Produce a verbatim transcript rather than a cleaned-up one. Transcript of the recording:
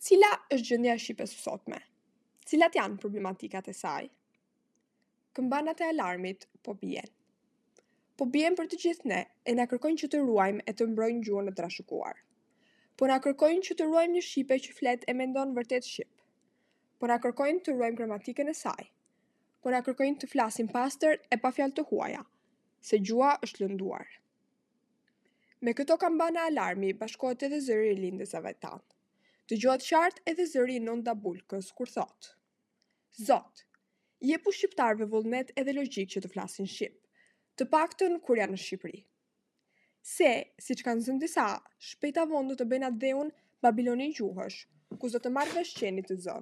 Cila është gjendja e shqipes së sotme? Cilat janë problematikat e saj? Këmbanat e alarmit po bien. Po bien për të gjithë ne e na kërkojnë që të ruajmë e të mbrojmë gjuhën e trashëguar. Po na kërkojnë që të ruajmë një shqipe që flet e mendon vërtet shqip. Po na kërkojnë të ruajmë gramatikën e saj. Po na kërkojnë të flasim pastër e pa fjalë të huaja, se gjuha është lënduar. Me këto kambana alarmi bashkohet edhe zëri i rilindësve tanë. Dëgjohet qartë edhe zëri i Nonda Bulkës kur thotë: Zot, jepu shqiptarëve vullnet edhe logjikë që të flasin shqip, të paktën kur janë në Shqipëri. Se, siç kanë zënë disa, shpejt a vonë do të bëjnë atdheun Babiloni gjuhësh, ku s'do të marrë vesh qeni të zënë.